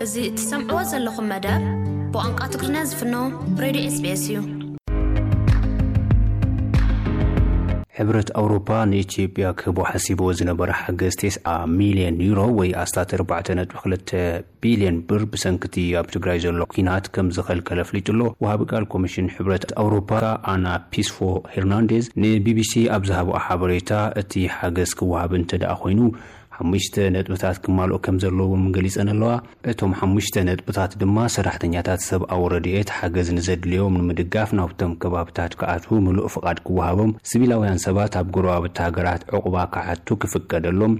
እዚ እትሰምዕዎ ዘለኹም መደብ ብቋንቋ ትግርኛ ዝፍኖ ሬድዮ ኤስቢኤስ እዩ። ሕብረት ኣውሮፓ ንኢትዮጵያ ክህቦ ሓሲብዎ ዝነበረ ሓገዝ ተስዓ ሚልዮን ዩሮ ወይ ኣስታት ኣርባዕተ ነጥቢ ክልተ ቢልዮን ብር ብሰንክቲ ኣብ ትግራይ ዘሎ ኲናት ከም ዝኸልከለ ኣፍሊጡ ኣሎ። ወሃቢ ቃል ኮሚሽን ሕብረት ኣውሮፓ ኣና ፒስፎ ሄርናንዴዝ ንቢቢሲ ኣብ ዝሃብኦ ሓበሬታ፣ እቲ ሓገዝ ክወሃብ እንተ ደኣ ኮይኑ ሓሙሽተ ነጥብታት ክማልኦ ከም ዘለዎ እውን ገሊጸን ኣለዋ። እቶም ሓሙሽተ ነጥብታት ድማ ሰራሕተኛታት ሰብኣዊ ረድኤት ሓገዝ ንዘድልዮም ንምድጋፍ ናብቶም ከባብታት ክኣትዉ ምሉእ ፍቓድ ክወሃቦም፣ ሲቪላውያን ሰባት ኣብ ጎረባብቲ ሃገራት ዕቑባ ክሓቱ ክፍቀደሎም፣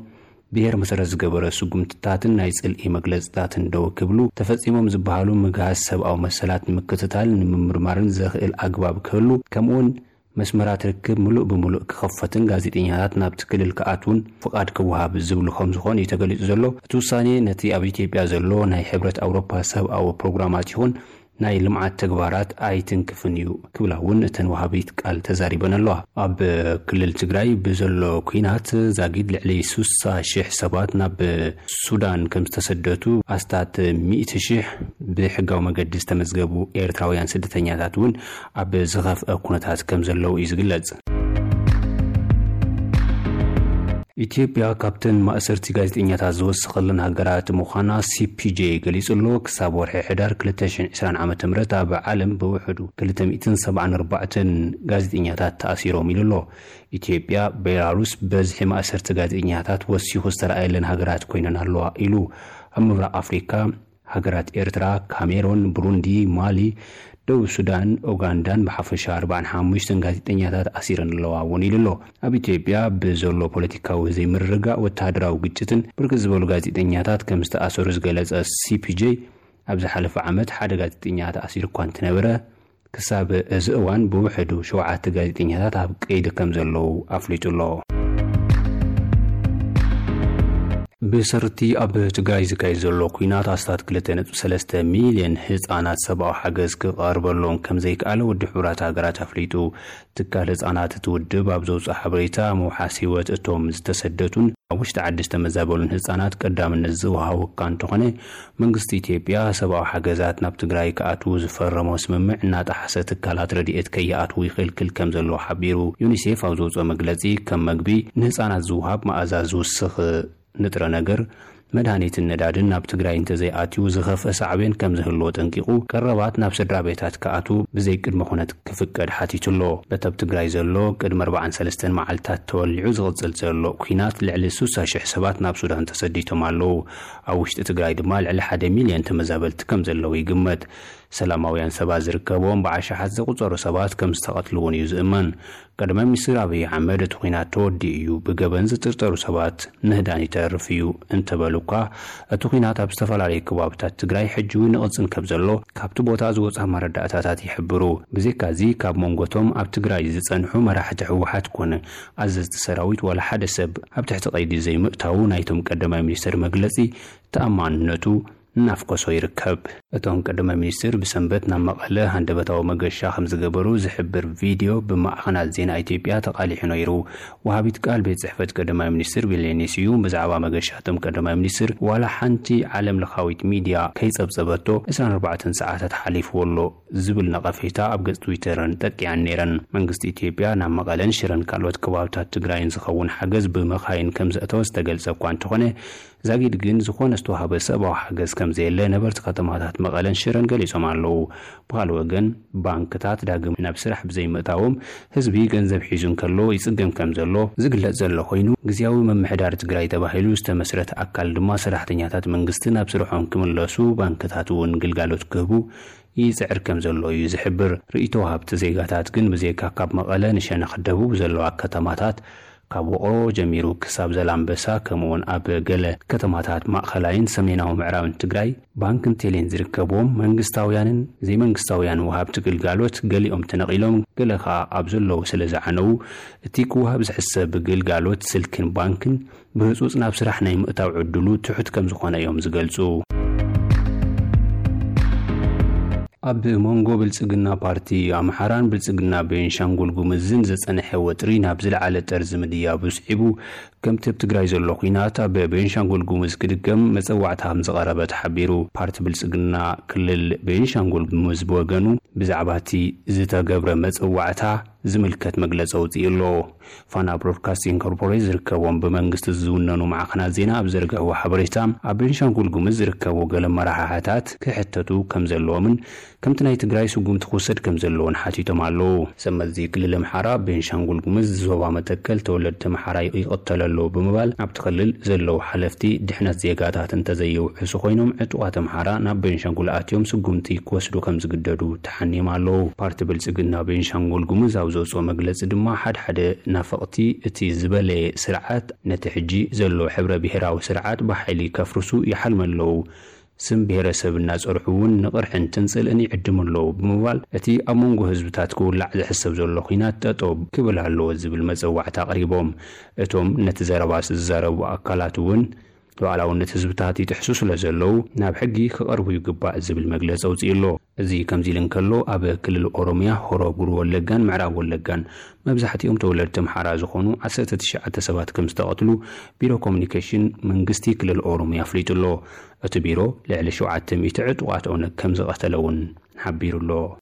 ብሄር መሰረት ዝገበረ ስጉምትታትን ናይ ጽልኢ መግለጽታትን ደው ክብሉ፣ ተፈጺሞም ዝበሃሉ ምግሃስ ሰብኣዊ መሰላት ንምክትታል ንምምርማርን ዘኽእል ኣግባብ ክህሉ፣ ከምኡውን መስመራት ርክብ ምሉእ ብምሉእ ክኸፈትን ጋዜጠኛታት ናብቲ ክልል ክኣትዉን ፍቓድ ክወሃብ ዝብሉ ከም ዝኾኑ እዩ ተገሊጹ ዘሎ። እቲ ውሳኔ ነቲ ኣብ ኢትዮጵያ ዘሎ ናይ ሕብረት ኣውሮፓ ሰብኣዊ ፕሮግራማት ይኹን ናይ ልምዓት ተግባራት ኣይትንክፍን እዩ ክብላ እውን እተን ወሃቢት ቃል ተዛሪበን ኣለዋ። ኣብ ክልል ትግራይ ብዘሎ ኲናት ዛጊድ ልዕሊ ስሳ ሽሕ ሰባት ናብ ሱዳን ከም ዝተሰደቱ፣ ኣስታት ሚእቲ ሽሕ ብሕጋዊ መገዲ ዝተመዝገቡ ኤርትራውያን ስደተኛታት እውን ኣብ ዝኸፍአ ኩነታት ከም ዘለዉ እዩ ዝግለጽ። ኢትዮጵያ ካብተን ማእሰርቲ ጋዜጠኛታት ዝወሰኸለን ሃገራት ምዃና ሲፒጄ ገሊጹ ኣሎ። ክሳብ ወርሒ ሕዳር ክልተ ሽሕን ዕስራን ዓመተ ምህረት ኣብ ዓለም ብውሕዱ ክልተ ሚእትን ሰብዓን ኣርባዕተን ጋዜጠኛታት ተኣሲሮም ኢሉ ኣሎ። ኢትዮጵያ፣ ቤላሩስ በዝሒ ማእሰርቲ ጋዜጠኛታት ወሲኹ ዝተረኣየለን ሃገራት ኮይነን ኣለዋ ኢሉ። ኣብ ምብራቕ ኣፍሪካ ሃገራት ኤርትራ፣ ካሜሮን፣ ብሩንዲ፣ ማሊ፣ ደቡብ ሱዳን፣ ኡጋንዳን ብሓፈሻ ኣርባዓን ሓሙሽተን ጋዜጠኛታት ኣሲረን ኣለዋ እውን ኢሉ ኣሎ። ኣብ ኢትዮጵያ ብዘሎ ፖለቲካዊ ዘይምርግጋእ፣ ወተሃደራዊ ግጭትን ብርክት ዝበሉ ጋዜጠኛታት ከም ዝተኣሰሩ ዝገለጸ ሲፒጄ፣ ኣብ ዝሓለፈ ዓመት ሓደ ጋዜጠኛ ተኣሲሩ እኳ እንተነበረ፣ ክሳብ እዚ እዋን ብውሕዱ ሸውዓተ ጋዜጠኛታት ኣብ ቀይዲ ከም ዘለዉ ኣፍሊጡ ኣሎ። ብሰርቲ ኣብ ትግራይ ዝካየድ ዘሎ ኲናት ኣስታት ክልተ ነጥቢ ሰለስተ ሚልዮን ህጻናት ሰብኣዊ ሓገዝ ክቐርበሎም ከም ዘይከኣለ ውድብ ሕቡራት ሃገራት ኣፍሊጡ። ትካል ህጻናት እቲ ውድብ ኣብ ዘውፅኦ ሓበሬታ፣ ምውሓስ ህይወት እቶም ዝተሰደቱን ኣብ ውሽጢ ዓዲ ዝተመዛበሉን ህጻናት ቀዳምነት ዝወሃቦ እኳ እንተኾነ፣ መንግስቲ ኢትዮጵያ ሰብኣዊ ሓገዛት ናብ ትግራይ ክኣትዉ ዝፈረሞ ስምምዕ እናጠሓሰ ትካላት ረድኤት ከይኣትዉ ይኽልክል ከም ዘሎ ሓቢሩ። ዩኒሴፍ ኣብ ዘውፅኦ መግለፂ፣ ከም መግቢ ንህፃናት ዝውሃብ መኣዛ ዝውስኽ ንጥረ ነገር፣ መድሃኒትን ነዳድን ናብ ትግራይ እንተዘይኣትዩ ዝኸፍአ ሳዕቤን ከም ዝህልዎ ጠንቂቑ፣ ቀረባት ናብ ስድራ ቤታት ክኣትዉ ብዘይ ቅድመ ኩነት ክፍቀድ ሓቲቱ ኣሎ። በቲ ኣብ ትግራይ ዘሎ ቅድሚ ኣርባዓን ሰለስተን መዓልታት ተወሊዑ ዝቕጽል ዘሎ ኲናት ልዕሊ ስሳ ሽሕ ሰባት ናብ ሱዳን ተሰዲቶም ኣለዉ። ኣብ ውሽጢ ትግራይ ድማ ልዕሊ ሓደ ሚልዮን ተመዛበልቲ ከም ዘለዉ ይግመት። ሰላማውያን ሰባት ዝርከብዎም ብኣሽሓት ዝቑጸሩ ሰባት ከም ዝተቐትሉ እውን እዩ ዝእመን። ቀዳማይ ሚኒስትር ኣብይ ኣሕመድ እቲ ኲናት ተወዲኡ እዩ፣ ብገበን ዝጥርጠሩ ሰባት ምህዳን ይተርፍ እዩ እንተበሉ እኳ፣ እቲ ኲናት ኣብ ዝተፈላለዩ ከባብታት ትግራይ ሕጂ እውን ይቕጽል ከም ዘሎ ካብቲ ቦታ ዝወጻ መረዳእታታት ይሕብሩ። ብዘይካዚ ካብ መንጎቶም ኣብ ትግራይ ዝጸንሑ መራሕቲ ህወሓት ኮነ ኣዘዝቲ ሰራዊት ዋላ ሓደ ሰብ ኣብ ትሕቲ ቀይዲ ዘይምእታዉ ናይቶም ቀዳማይ ሚኒስትር መግለጺ ተኣማንነቱ እናፍኮሶ ይርከብ። እቶም ቀዳማይ ሚኒስትር ብሰንበት ናብ መቐለ ሃንደበታዊ መገሻ ከም ዝገበሩ ዝሕብር ቪድዮ ብማዕኸናት ዜና ኢትዮጵያ ተቓሊሑ ነይሩ። ወሃቢት ቃል ቤት ጽሕፈት ቀዳማይ ሚኒስትር ቢሌኔ ስዩም ብዛዕባ መገሻ እቶም ቀዳማይ ሚኒስትር ዋላ ሓንቲ ዓለም ለኻዊት ሚድያ ከይጸብጸበቶ ዕስራን ኣርባዕተን ሰዓታት ሓሊፍዎ ኣሎ ዝብል ነቐፌታ ኣብ ገጽ ትዊተረን ጠቂዐን ነይረን። መንግስቲ ኢትዮጵያ ናብ መቐለን ሽረን ካልኦት ከባብታት ትግራይን ዝኸውን ሓገዝ ብመኻይን ከም ዘእተወ ዝተገልጸ እኳ እንተኾነ፣ ዛጊድ ግን ዝኾነ ዝተዋህበ ሰብኣዊ ሓገዝ ከም ዘየለ ነበርቲ ከተማታት መቐለን ሽረን ገሊጾም ኣለዉ። ብኻልእ ወገን፣ ባንክታት ዳግም ናብ ስራሕ ብዘይምእታዎም ህዝቢ ገንዘብ ሒዙ እንከሎ ይጽገም ከም ዘሎ ዝግለጽ ዘሎ ኮይኑ፣ ግዝያዊ ምምሕዳር ትግራይ ተባሂሉ ዝተመስረተ ኣካል ድማ ሰራሕተኛታት መንግስቲ ናብ ስርሖም ክምለሱ፣ ባንክታት እውን ግልጋሎት ክህቡ ይጽዕር ከም ዘሎ እዩ ዝሕብር። ርእይቶ ወሃብቲ ዜጋታት ግን ብዘይካ ካብ መቐለ ንሸነኽ ደቡብ ዘለዋ ከተማታት ካብ ውቕሮ ጀሚሩ ክሳብ ዘላምበሳ፣ ከምኡውን ኣብ ገለ ከተማታት ማእኸላይን ሰሜናዊ ምዕራብን ትግራይ ባንክን ቴሌን ዝርከብዎም መንግስታውያንን ዘይመንግስታውያን ወሃብቲ ግልጋሎት፣ ገሊኦም ተነቒሎም፣ ገለ ኸኣ ኣብ ዘለዉ ስለ ዝዓነዉ፣ እቲ ክወሃብ ዝሕሰብ ግልጋሎት ስልክን ባንክን ብህጹጽ ናብ ስራሕ ናይ ምእታው ዕድሉ ትሑት ከም ዝኾነ እዮም ዝገልጹ። ኣብ መንጎ ብልጽግና ፓርቲ ኣምሓራን ብልጽግና ቤንሻንጉል ጉምዝን ዝጸንሐ ወጥሪ ናብ ዝለዓለ ጠርዚ ምድያቡ ስዒቡ፣ ከምቲ ኣብ ትግራይ ዘሎ ኲናት ኣብ ቤንሻንጉል ጉምዝ ክድገም መጸዋዕታ ከም ዝቐረበ ተሓቢሩ። ፓርቲ ብልጽግና ክልል ቤንሻንጉል ጉምዝ ብወገኑ፣ ብዛዕባ እቲ ዝተገብረ መጸዋዕታ ዝምልከት መግለጺ ኣውጺኡ ኣሎ። ፋና ብሮድካስቲንግ ኮርፖሬት ዝርከቦም ብመንግስቲ ዝውነኑ ማዕኸናት ዜና ኣብ ዘርግሕዎ ሓበሬታ፣ ኣብ ቤንሻንጉል ጉምዝ ዝርከቡ ገለ መራሕሕታት ክሕተቱ ከም ዘለዎምን ከምቲ ናይ ትግራይ ስጉምቲ ክውሰድ ከም ዘለዎን ሓቲቶም ኣለዉ። ሰብ መዚ ክልል ኣምሓራ፣ ቤንሻንጉል ጉምዝ ዞባ መተከል ተወለድቲ ኣምሓራ ይቕተሉ ኣለዉ ብምባል፣ ኣብቲ ክልል ዘለዉ ሓለፍቲ ድሕነት ዜጋታት እንተዘይውሕሱ ኮይኖም፣ ዕጡቓት ኣምሓራ ናብ ቤንሻንጉል ኣትዮም ስጉምቲ ክወስዱ ከም ዝግደዱ ተሓኒዮም ኣለዉ። ፓርቲ ብልጽግና ቤንሻንጉል ጉምዝ ኣብ ዘውፅኦ መግለፂ ድማ፣ ሓድሓደ ናፈቕቲ እቲ ዝበለየ ስርዓት ነቲ ሕጂ ዘሎ ሕብረ ብሄራዊ ስርዓት ብሓይሊ ከፍርሱ ይሓልሙ ኣለዉ። ስም ብሄረሰብ እናፀርሑ እውን ንቕርሕንትን ጽልእን ይዕድሙ ኣለዉ ብምባል፣ እቲ ኣብ መንጎ ህዝብታት ክውላዕ ዝሕሰብ ዘሎ ኲናት ጠጠው ክብል ኣለዎ ዝብል መፀዋዕታ ኣቕሪቦም። እቶም ነቲ ዘረባ ዝዛረቡ ኣካላት እውን፣ ሉዓላውነት ህዝብታት ይጥሕሱ ስለ ዘለዉ፣ ናብ ሕጊ ክቐርቡ ይግባእ ዝብል መግለፂ ኣውፂኡ ኣሎ። እዚ ከምዚ ኢሉ እንከሎ፣ ኣብ ክልል ኦሮምያ ሆሮ ጉሩ ወለጋን ምዕራብ ወለጋን መብዛሕትኦም ተወለድቲ ኣምሓራ ዝኾኑ ዓሰርተ ትሽዓተ ሰባት ከም ዝተቐትሉ ቢሮ ኮሙኒኬሽን መንግስቲ ክልል ኦሮምያ ኣፍሊጡ ኣሎ። እቲ ቢሮ ልዕሊ ሸውዓተ ሚእቲ ዕጡቓት ኦነግ ከም ዝቐተለ እውን ሓቢሩ ኣሎ።